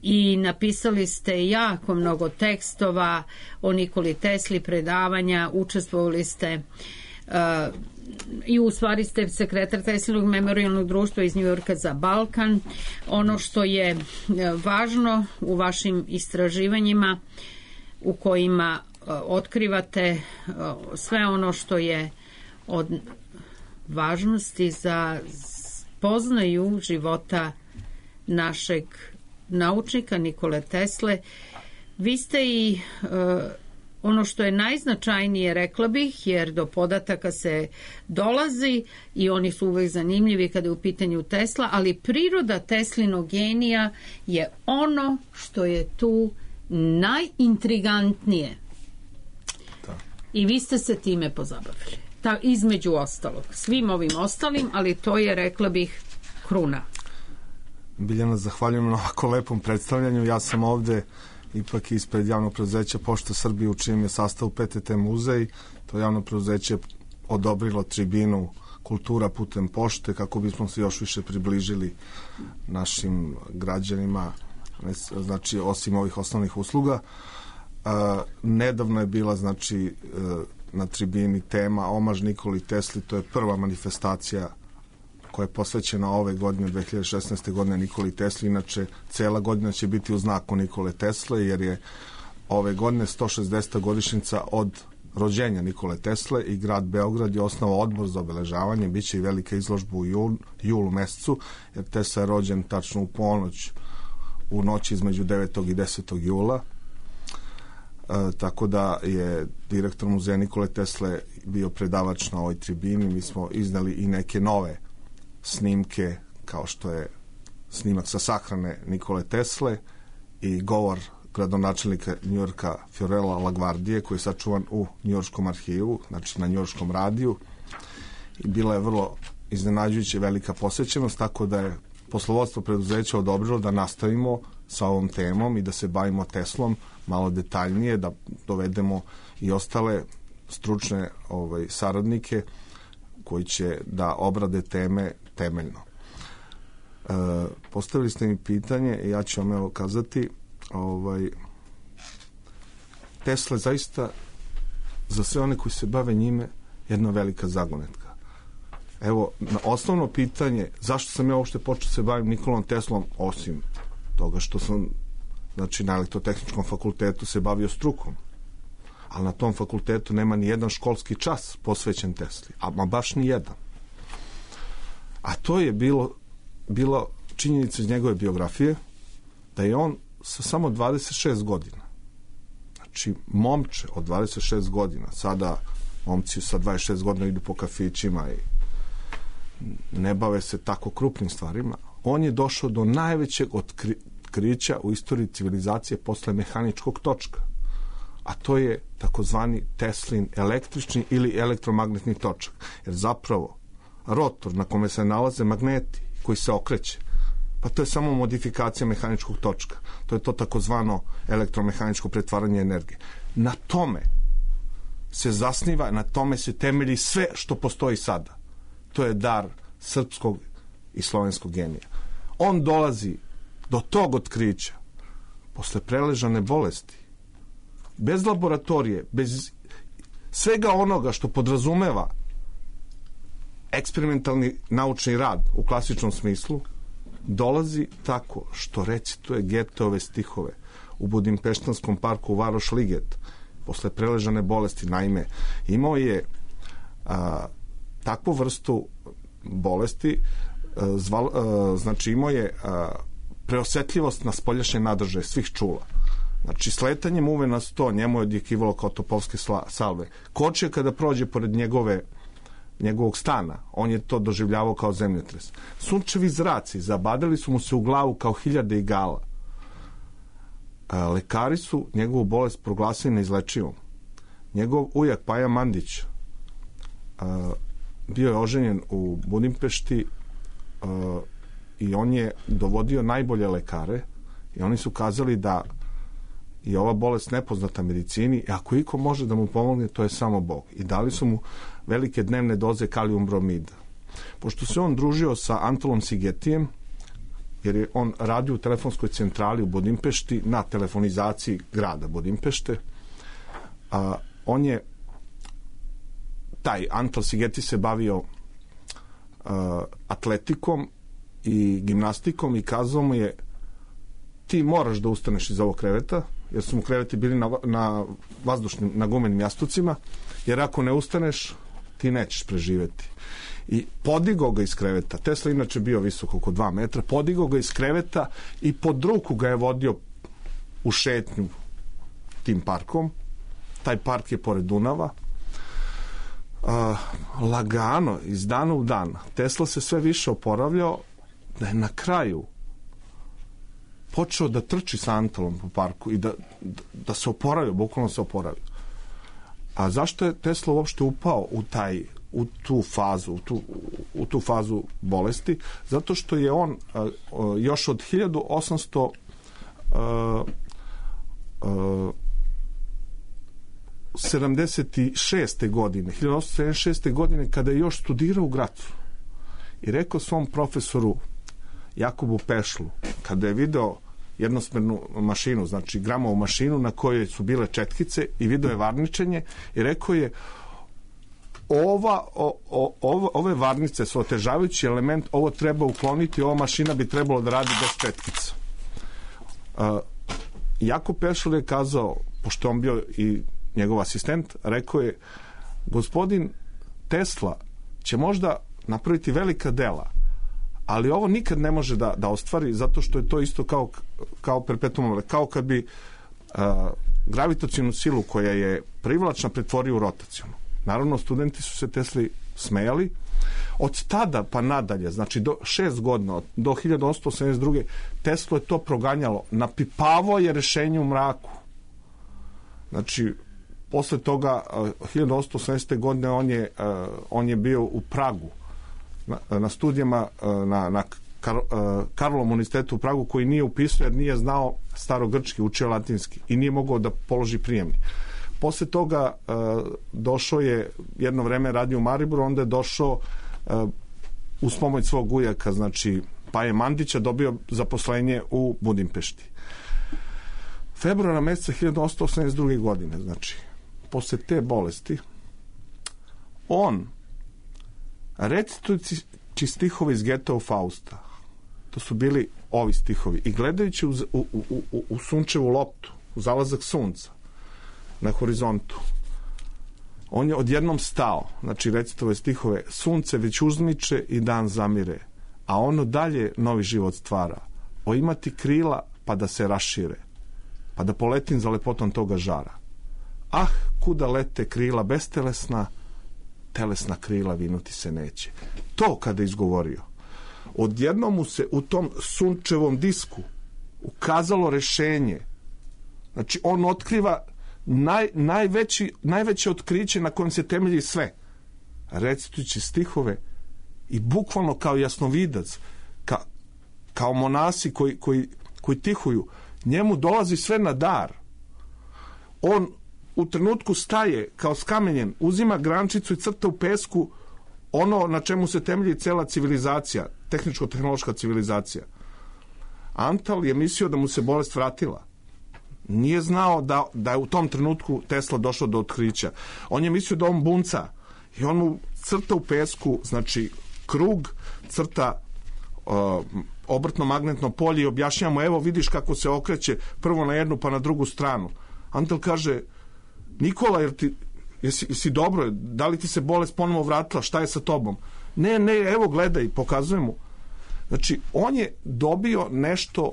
i napisali ste jako mnogo tekstova o Nikoli Tesli, predavanja, učestvovali ste i u stvari ste sekretar Teslinog memorijalnog društva iz Njujorka za Balkan. Ono što je važno u vašim istraživanjima u kojima otkrivate sve ono što je od važnosti za spoznaju života našeg naučnika Nikole Tesle. Vi ste i ono što je najznačajnije, rekla bih, jer do podataka se dolazi i oni su uvek zanimljivi kada je u pitanju Tesla, ali priroda Teslinog genija je ono što je tu najintrigantnije. Da. I vi ste se time pozabavili. Između ostalog. Svim ovim ostalim, ali to je, rekla bih, kruna. Biljana, zahvaljujem na ovako lepom predstavljanju. Ja sam ovde ipak ispred javnog preduzeća Pošta Srbije u čijem je sastavu PTT muzej. To javno preduzeće odobrilo tribinu Kultura putem pošte kako bismo se još više približili našim građanima, znači osim ovih osnovnih usluga. Nedavno je bila na tribini tema Omaž Nikoli Tesli, to je prva manifestacija koja je posvećena ove godine, 2016. godine Nikoli Tesli. Inače, cela godina će biti u znaku Nikole Tesle, jer je ove godine 160. godišnjica od rođenja Nikole Tesle i grad Beograd je osnovao odbor za obeležavanje. Biće i velika izložba u julu mesecu, jer Tesla je rođen tačno u ponoć, u noći između 9. i 10. jula. Tako da je direktor muzeja Nikole Tesle bio predavač na ovoj tribini. Mi smo iznali i neke nove snimke, kao što je snimak sa sahrane Nikole Tesle i govor gradonačelnika Njujorka Fiorella LaGuardije, koji je sačuvan u Njujorškom arhivu, znači na Njujorškom radiju. I bila je vrlo iznenađujuća velika posvećenost, tako da je poslovodstvo preduzeća odobrilo da nastavimo sa ovom temom i da se bavimo Teslom malo detaljnije, da dovedemo i ostale stručne saradnike koji će da obrade teme temeljno. Postavili ste mi pitanje i ja ću vam evo kazati, Tesla je zaista za sve one koji se bave njime jedna velika zagonetka. Evo, na osnovno pitanje zašto sam ja uopšte počeo se bavim Nikolom Teslom, osim toga što sam na elektrotehničkom fakultetu se bavio strukom, ali na tom fakultetu nema ni jedan školski čas posvećen Tesli, a baš ni jedan. A to je bilo činjenica iz njegove biografije, da je on sa samo 26 godina, znači momče od 26 godina, sada momci sa 26 godina idu po kafićima i ne bave se tako krupnim stvarima, on je došao do najvećeg otkrića u istoriji civilizacije posle mehaničkog točka, a to je takozvani Teslin električni ili elektromagnetni točak. Jer zapravo rotor na kome se nalaze magneti koji se okreće, pa to je samo modifikacija mehaničkog točka. To je to takozvano elektromehaničko pretvaranje energije. Na tome se zasniva, na tome se temelji sve što postoji sada. To je dar srpskog i slovenskog genija. On dolazi do tog otkrića posle preležane bolesti, bez laboratorije, bez svega onoga što podrazumeva eksperimentalni naučni rad u klasičnom smislu, dolazi tako što recituje Goetheove stihove u budimpeštanskom parku Varoš Liget posle preležane bolesti. Naime, imao je takvu vrstu bolesti, znači imao je preosetljivost na spoljašnje nadržaje svih čula. Znači, sletanjem uve na 100 njemu je odjekivalo kao topovske salve. Kočija kada prođe pored njegovog stana, on je to doživljavao kao zemljotres. Sunčevi zraci zabadali su mu se u glavu kao hiljade igala. Lekari su njegovu bolest proglasili neizlečivom. Njegov ujak Paja Mandić bio je oženjen u Budimpešti i on je dovodio najbolje lekare i oni su kazali da je ova bolest nepoznata medicini i ako iko može da mu pomogne, to je samo Bog. I dali su mu velike dnevne doze kalijum bromida. Pošto se on družio sa Antolom Sigetijem, jer je on radio u telefonskoj centrali u Budimpešti na telefonizaciji grada Budimpešte, on je taj Antol Sigeti se bavio atletikom i gimnastikom i kazao mu je ti moraš da ustaneš iz ovog kreveta, jer su mu kreveti bili na vazdušnim, na gumenim jastucima, jer ako ne ustaneš ti nećeš preživeti. I podigao ga iz kreveta. Tesla inače bio visok oko 2 metra, podigao ga iz kreveta i pod ruku ga je vodio u šetnju tim parkom. Taj park je pored Dunava. Lagano, iz dana u dan, Tesla se sve više oporavljao, da je na kraju počeo da trči sa Antolom po parku i da se oporavio, bukvalno se oporavio. A zašto je Tesla uopšte upao u tu fazu bolesti? Zato što je on još od 1876. godine, kada je još studirao u Gracu i rekao svom profesoru Jakobu Pešlu, kada je video jednosmernu mašinu, znači gramovu mašinu na kojoj su bile četkice i video je varničenje i rekao je ove varnice su otežavajući element, ovo treba ukloniti, ova mašina bi trebalo da radi bez četkica. Jakob Pešl je kazao, pošto on bio i njegov asistent, rekao je, gospodin Tesla će možda napraviti velika dela, ali ovo nikad ne može da ostvari, zato što je to isto kao perpetuum mobile, kao kad bi gravitacionu silu koja je privlačna pretvorio u rotacionu. Naravno, studenti su se Tesli smejali. Od tada pa nadalje, znači do 6 godina, do 1882. Teslo je to proganjalo. Napipavao je rešenje u mraku. Znači, posle toga, 1880. godine on je bio u Pragu na studijama na Karlovom univerzitetu u Pragu, koji nije upisao jer nije znao starogrčki, učio latinski i nije mogao da položi prijemni. Posle toga došao je, jedno vreme radio u Mariboru, onda je došao uz pomoć svog ujaka, znači Paje Mandića, dobio zaposlenje u Budimpešti. Februara meseca 1882. godine, znači posle te bolesti, on recitujući stihove iz Goetheov Fausta, to su bili ovi stihovi, i gledajući u sunčevu loptu, u zalazak sunca na horizontu, on je odjednom stao, znači recitove stihove, sunce već uzmiče i dan zamire, a ono dalje novi život stvara, o imati krila pa da se rašire, pa da poletim za lepotom toga žara. Ah, kuda lete krila bestelesna, telesna krila vinuti se neće. To kada je izgovorio, odjednom mu se u tom sunčevom disku ukazalo rešenje. Znači, on otkriva najveće otkriće na kojem se temelji sve. Recitujući stihove i bukvalno kao jasnovidac, kao monasi koji tihuju, njemu dolazi sve na dar. On u trenutku staje kao skamenjen, uzima grančicu i crta u pesku ono na čemu se temelji cela civilizacija, tehničko-tehnološka civilizacija. Antal je mislio da mu se bolest vratila. Nije znao da je u tom trenutku Tesla došao do otkrića. On je mislio da on bunca i on mu crta u pesku, znači krug, crta obrtno magnetno polje i objašnjava mu, evo vidiš kako se okreće prvo na jednu pa na drugu stranu. Antal kaže, Nikola, jesi dobro, da li ti se bolest ponovo vratila, šta je sa tobom? Ne, evo gledaj, pokazuje mu. Znači, on je dobio nešto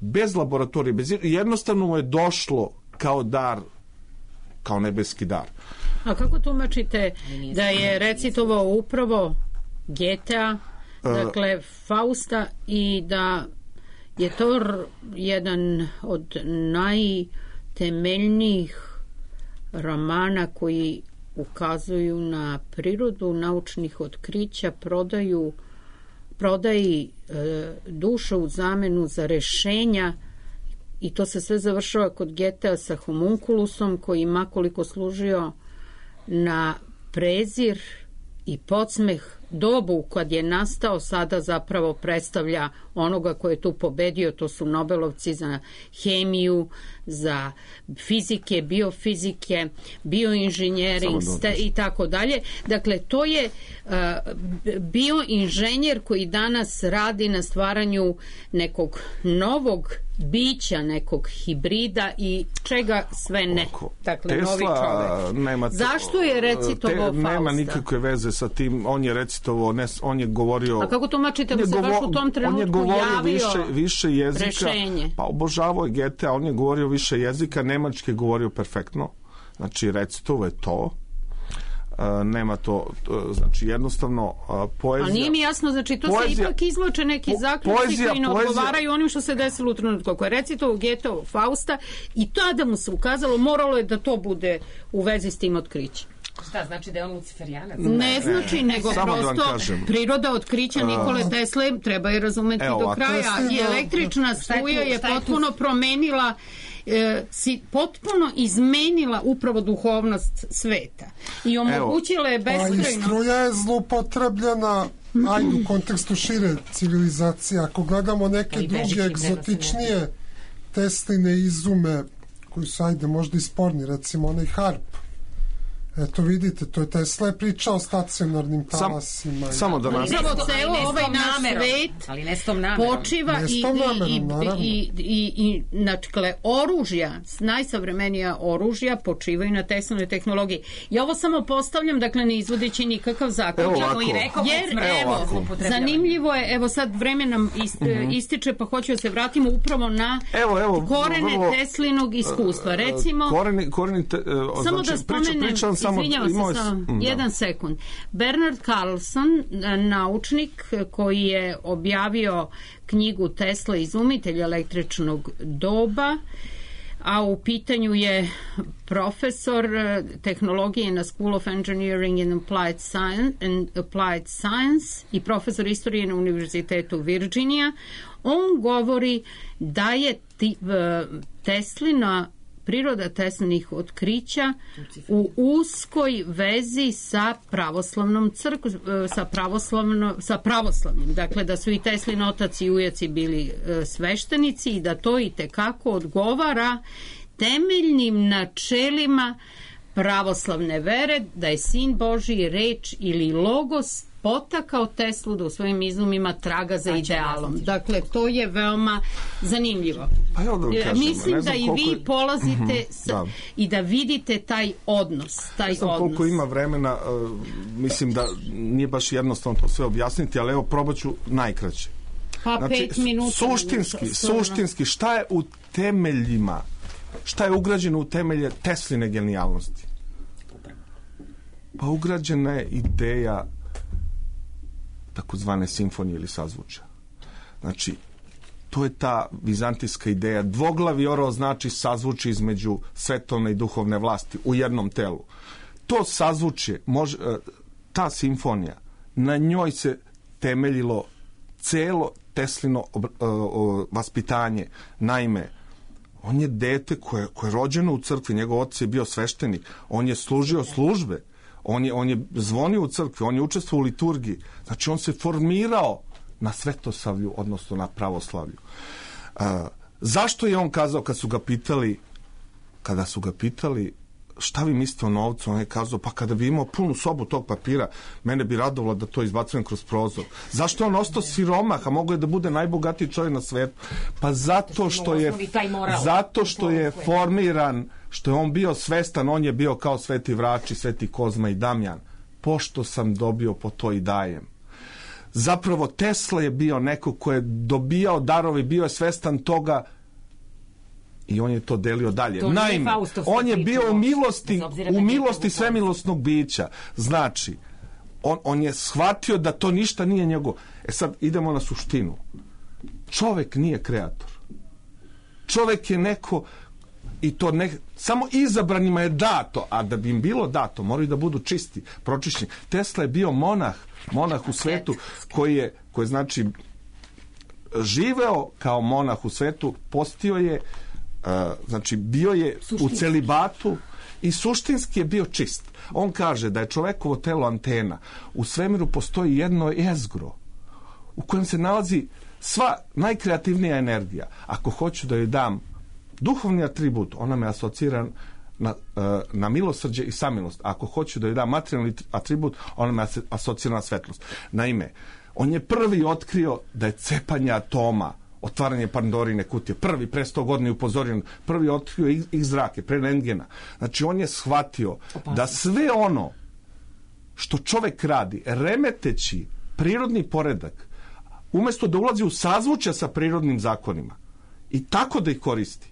bez laboratorije, jednostavno mu je došlo kao dar, kao nebeski dar. A kako tumačite da je recitovao upravo Goethea, dakle Fausta, i da je to jedan od najtemeljnijih romana koji ukazuju na prirodu naučnih otkrića, prodaji duša u zamenu za rešenja, i to se sve završava kod Goethea sa homunculusom koji makoliko služio na prezir i podsmeh dobu kad je nastao, sada zapravo predstavlja onoga ko je tu pobedio. To su Nobelovci za hemiju, za fizike, biofizike, bioinženjering i tako dalje. Dakle, to je bioinženjer koji danas radi na stvaranju nekog novog bića, nekog hibrida i čega sve ne. Dakle, Tesla, novi čovek. Zašto je recitovao Fausta? Nema nikakve veze sa tim. On je recitovao, on je govorio... A kako tumačite da se baš u tom trenutku javio više jezika, rešenje? Pa obožavao je Goethea, on je govorio više jezika, nemački je govorio perfektno. Znači, recitovao je to. Nema to, znači jednostavno poezija... A nije mi jasno, znači to se ipak izvlače neki zaključci koji ne odgovaraju onim što se desilo u trenutku. Ako je recitovao Goethea Fausta i tada mu se ukazalo, moralo je da to bude u vezi s tim otkrićem. Šta, znači da je on luciferijanac? Ne znači, nego prosto priroda otkrića Nikole Tesle treba je razumeti do kraja. I električna struja je potpuno promenila, potpuno izmenila upravo duhovnost sveta i omogućila je beskrajno. A i struja je zloupotrebljena u kontekstu šire civilizacije. Ako gledamo neke druge egzotičnije Tesline izume koji su, možda i sporni, recimo onaj harp. Eto vidite, to je Tesla je pričao o stacionarnim talasima. Samo da nas... Ceo ovaj naš svet počiva i dakle, oružja, najsavremenija oružja počivaju na Teslinoj tehnologiji. Ja ovo samo postavljam, dakle, ne izvodeći nikakav zaključak. Jer, zanimljivo je, evo sad vreme nam ističe, pa hoću da se vratimo upravo na korene Teslinog iskustva. Recimo, samo da spomenem, izvinjavam se samo jedan sekund. Bernard Carlson, naučnik koji je objavio knjigu Tesla, izumitelj električnog doba, a u pitanju je profesor tehnologije na School of Engineering and Applied Science i profesor istorije na Univerzitetu Virginia. On govori da je Teslina priroda Teslinih otkrića u uskoj vezi sa pravoslavnom crkvom, sa pravoslavnim. Dakle, da su i Teslin otac i ujaci bili sveštenici i da to i tekako odgovara temeljnim načelima pravoslavne vere, da je Sin Božji, reč ili logos potakao Teslu da u svojim izumima traga za idealom. Dakle, to je veoma zanimljivo. Mislim da i vi polazite i da vidite taj odnos. Ne znam koliko ima vremena, mislim da nije baš jednostavno to sve objasniti, ali evo probat ću najkraće. Pa 5 minuta. Suštinski, šta je u temeljima, šta je ugrađeno u temelje Tesline genijalnosti? Pa ugrađena je ideja takozvane simfonije ili sazvučja. Znači, to je ta vizantijska ideja. Dvoglavi orao znači sazvuči između svetovne i duhovne vlasti u jednom telu. To sazvučje, ta simfonija, na njoj se temeljilo celo Teslino vaspitanje. Naime, on je dete koje je rođeno u crkvi, njegov otac je bio sveštenik, on je služio službe, on je zvonio u crkvi, on je učestvovao u liturgiji. Znači, on se formirao na svetosavlju, odnosno na pravoslavlju. Zašto je on kazao kada su ga pitali šta vi mislite o novcu, on je kazao, pa kada bi imao punu sobu tog papira, mene bi radovalo da to izbacujem kroz prozor. Zašto je on ostao siromah, a mogo je da bude najbogatiji čovjek na svetu? Pa zato što je formiran, što je on bio svestan, on je bio kao Sveti Vrači, Sveti Kozma i Damjan. Pošto sam dobio, po to i dajem. Zapravo Tesla je bio neko ko je dobijao darove, bio je svestan toga i on je to delio dalje. Naime, on je bio u milosti svemilosnog bića. Znači, on je shvatio da to ništa nije njegov. Sad idemo na suštinu. Čovek nije kreator. Čovek je neko i to samo izabranima je dato, a da bi im bilo dato, moraju da budu čisti, pročišćeni. Tesla je bio monah u svetu koji je znači živeo kao monah u svetu, postio je, znači bio je u celibatu i suštinski je bio čist. On kaže da je čovekovo telo antena. U svemiru postoji jedno jezgro u kojem se nalazi sva najkreativnija energija. Ako hoću da joj dam duhovni atribut, ona me asocira na milosrđe i samilost. Ako hoću da joj dam materijalni atribut, ona me asocira na svetlost. Naime, on je prvi otkrio da je cepanje atoma, otvaranje Pandorine kutije, prvi pre 100 godina je upozorio, prvi otkrio X zrake, pre rentgena. Znači, on je shvatio da sve ono što čovek radi, remeteći prirodni poredak, umesto da ulazi u sazvučja sa prirodnim zakonima i tako da ih koristi,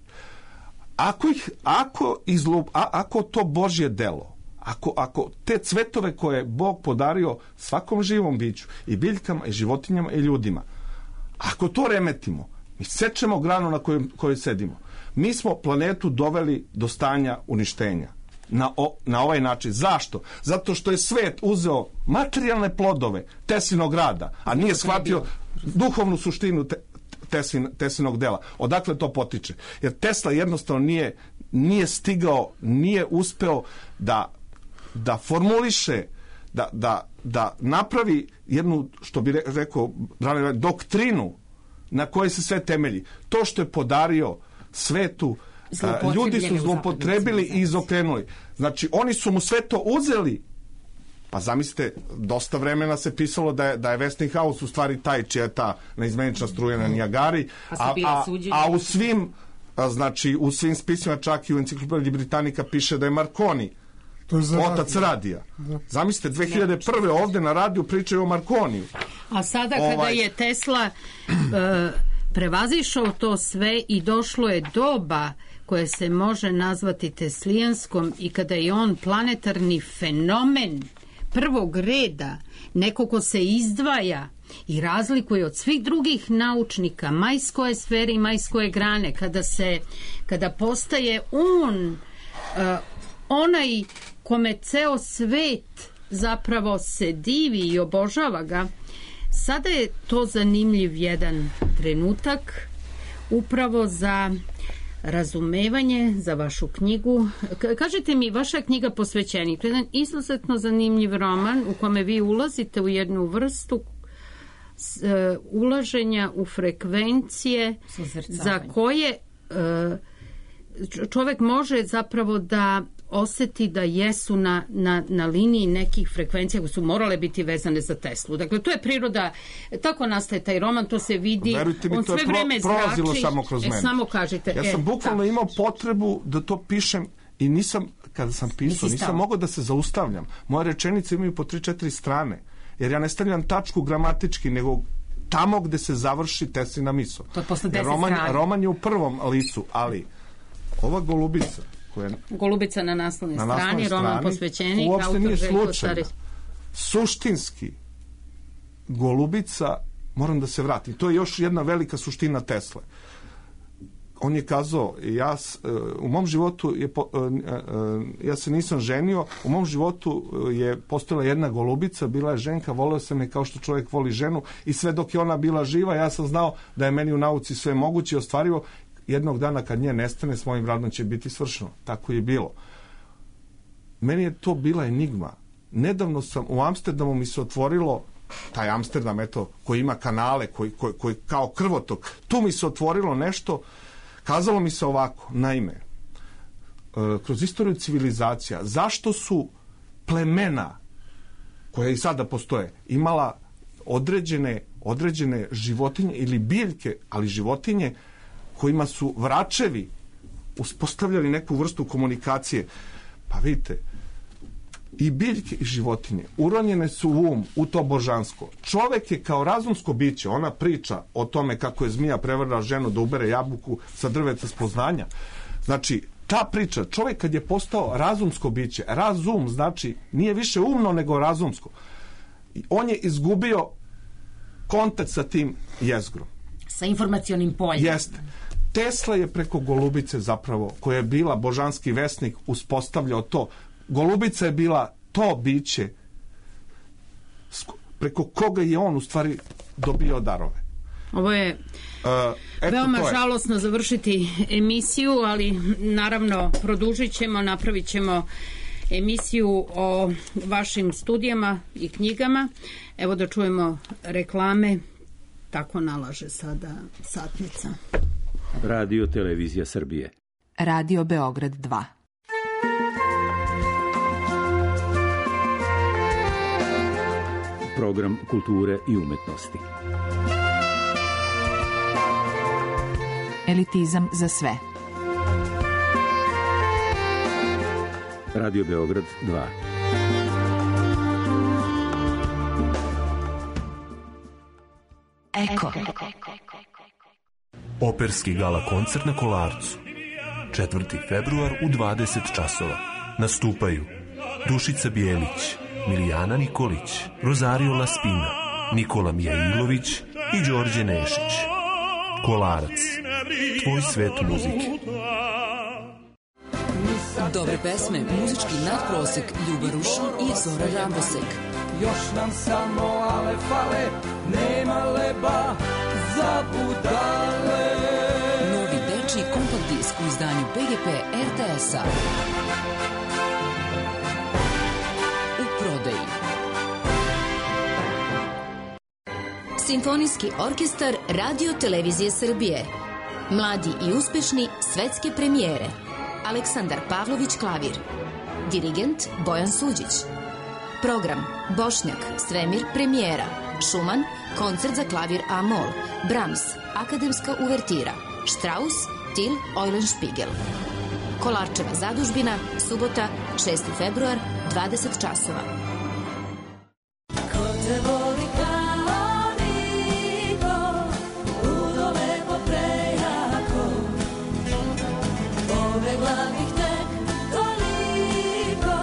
ako to Božje delo, ako te cvetove koje je Bog podario svakom živom biću, i biljkama, i životinjama, i ljudima, ako to remetimo, mi sečemo granu na kojoj sedimo. Mi smo planetu doveli do stanja uništenja. Na ovaj način. Zašto? Zato što je svet uzeo materijalne plodove Teslinog rada, a nije shvatio duhovnu suštinu Teslinog dela. Odakle to potiče? Jer Tesla jednostavno nije stigao, nije uspeo da formuliše, da napravi jednu, što bi rekao, doktrinu na kojoj se sve temelji. To što je podario svetu, ljudi su zloupotrebili i izokrenuli. Znači, oni su mu sve to uzeli. Pa zamislite, dosta vremena se pisalo da je Westinghouse u stvari taj čija je ta neizmenična struja na Nijagari, a u svim spisima, čak i u Enciklopediji Britannica piše da je Marconi otac radija. Zamislite, 2001. ovde na radiju pričaju o Marconiju. A sada kada je Tesla prevazišao to sve i došlo je doba koje se može nazvati teslijanskom i kada je on planetarni fenomen prvog reda, neko ko se izdvaja i razlikuje od svih drugih naučnika, majskoje sfere i majskoje grane, kada postaje on onaj kome ceo svet zapravo se divi i obožava ga, sada je to zanimljiv jedan trenutak upravo za razumevanje, za vašu knjigu. Kažite mi, vaša knjiga Posvećenik, jedan izuzetno zanimljiv roman u kome vi ulazite u jednu vrstu ulaženja u frekvencije za koje čovek može zapravo da oseti da jesu na liniji nekih frekvencija koje su morale biti vezane za Teslu. Dakle, to je priroda, tako nastaje taj roman, to se vidi. Verujte mi, to je prolazilo samo kroz mene. Samo kažite. Ja sam bukvalno imao potrebu da to pišem i nisam, kada sam pisao, nisam mogao da se zaustavljam. Moje rečenice imaju po 3-4 strane, jer ja ne stavljam tačku gramatički, nego tamo gde se završi Teslina misao. Roman je u prvom licu, ali ova golubica, Golubica na naslovnoj strani, roman Posvećenik, uopšte nije slučajno. Suštinski golubica, moram da se vratim, to je još jedna velika suština Tesle. On je kazao, u mom životu ja se nisam ženio, u mom životu je postojala jedna golubica, bila je ženka, voleo sam je kao što čovjek voli ženu i sve dok je ona bila živa, ja sam znao da je meni u nauci sve moguće i ostvarivo. Jednog dana kad nje nestane, s mojim radom će biti svršeno. Tako je bilo. Meni je to bila enigma. Nedavno sam u Amsterdamu mi se otvorilo, taj Amsterdam, eto, koji ima kanale, koji kao krvotok, tu mi se otvorilo nešto. Kazalo mi se ovako, naime, kroz istoriju civilizacija, zašto su plemena, koja i sada postoje, imala određene životinje ili biljke, ali životinje kojima su vračevi uspostavljali neku vrstu komunikacije. Pa vidite, i biljke i životinje uronjene su u to božansko. Čovek je kao razumsko biće, ona priča o tome kako je zmija prevarila ženu da ubere jabuku sa drveta spoznanja. Znači, ta priča, čovjek kad je postao razumsko biće, razum znači nije više umno nego razumsko, on je izgubio kontakt sa tim jezgrom. Sa informacionim poljem. Jeste. Tesla je preko golubice zapravo, koja je bila božanski vesnik, uspostavljao to. Golubica je bila to biće preko koga je on u stvari dobio darove. Ovo je veoma žalosno završiti emisiju, ali naravno produžit ćemo, napravit ćemo emisiju o vašim studijama i knjigama. Evo da čujemo reklame, tako nalaže sada satnica. Radio Televizija Srbije. Radio Beograd 2. Program kulture i umetnosti. Elitizam za sve. Radio Beograd 2. Eko. Operski gala koncert na Kolarcu. 4. februar u 20 časova. Nastupaju Dušica Bijelić, Milijana Nikolić, Rosario Laspina, Nikola Mijailović i Đorđe Nešić. Kolarac. Tvoj svet muzike. Dobre pesme, muzički nadprosek, Ljuba Rušin i Zora Rambosek. Još nam samo ale fale, nema leba za budale. Novi dečiji kompakt disk u izdanju PGP RTS-a. U prodaji. Simfonijski orkestar Radio Televizije Srbije. Mladi i uspešni svetske premijere. Aleksandar Pavlović klavir. Dirigent Bojan Suđić. Program Bošnjak, Svemir premijera. Šuman, koncert za klavir A-mol. Brahms, akademska uvertira. Strauss, Till Eulenspiegel. Kolarčeva zadužbina, subota, 6. februar, 20 časova. Ko te voli kao niko, ludo lepo prejako, pobegla bih tek toliko,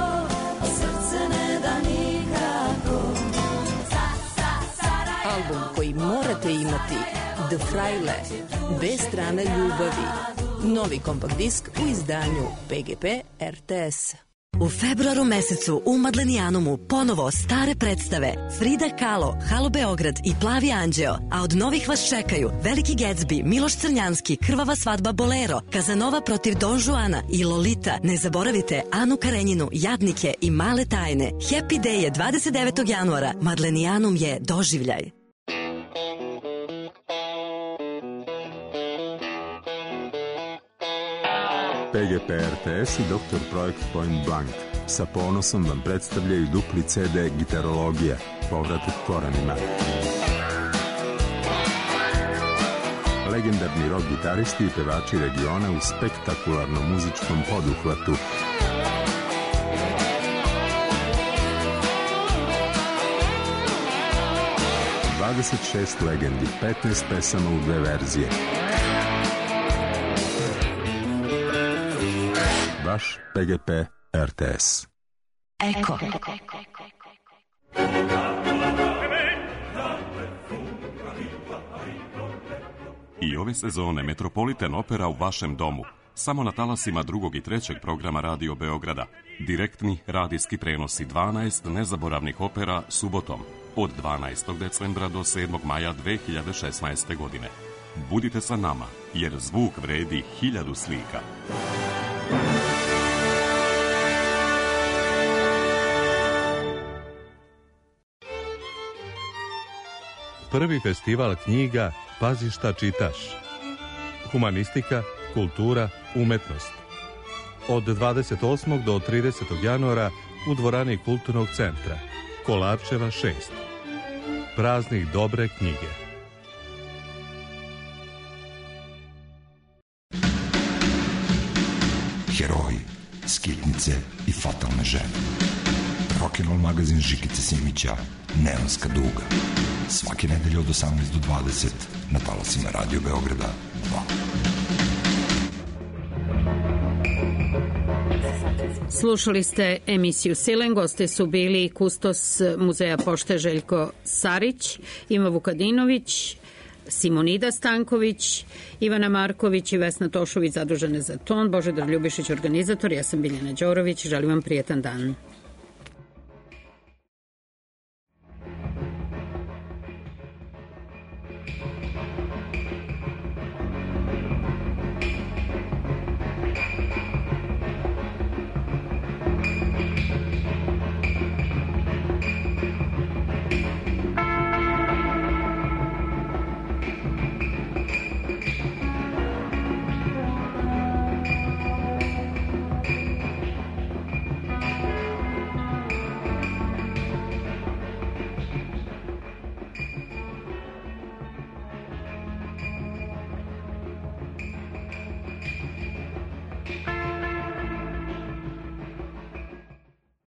a srce ne da nikako. Album koji morate imati, The Fraile, bez strane ljubavi. Novi kompakt disk u izdanju PGP RTS. U februaru mesecu u Madlenijanumu ponovo stare predstave Frida Kahlo, Halo Beograd i Plavi anđeo, a od novih vas čekaju Veliki Gatsby, Miloš Crnjanski, Krvava svadba Bolero, Kazanova protiv Don Juana i Lolita. Ne zaboravite Anu Karenjinu, Jadnike i Male tajne. Happy Day je 29. januara. Madlenijanum je doživljaj. PGP RTS i Dr. Projekt Point Blank sa ponosom vam predstavljaju dupli CD Gitarologija, povratak korenima. Legendarni rock gitaristi i pevači regiona u spektakularnom muzičkom poduhvatu. ...26 legendi, 15 pesama u 2 verzije. Vaš PGP RTS. Eko. I ove sezone Metropolitan Opera u vašem domu, samo na talasima 2. i 3. programa Radio Beograda. Direktni radijski prenosi 12 nezaboravnih opera subotom od 12. decembra do 7. maja 2016. godine. Budite sa nama, jer zvuk vredi 1000 slika. Prvi festival knjiga Pazi šta čitaš. Humanistika, kultura, umetnost. Od 28. do 30. januara u dvorani Kulturnog centra. Kolarčeva 6. Praznik dobre knjige. Heroji, skitnice i fatalne žene. Rock'n'roll magazin Žikice Simića, Neonska duga. Svake nedelje od 18 do 20 na talasima Radio Beograda 2. Slušali ste emisiju Silen, goste su bili kustos Muzeja pošte Željko Sarić, Ima Vukadinović, Simonida Stanković, Ivana Marković i Vesna Tošović zadužene za ton, Božidar Ljubišić organizator, ja sam Biljana Đorović, želim vam prijetan dan.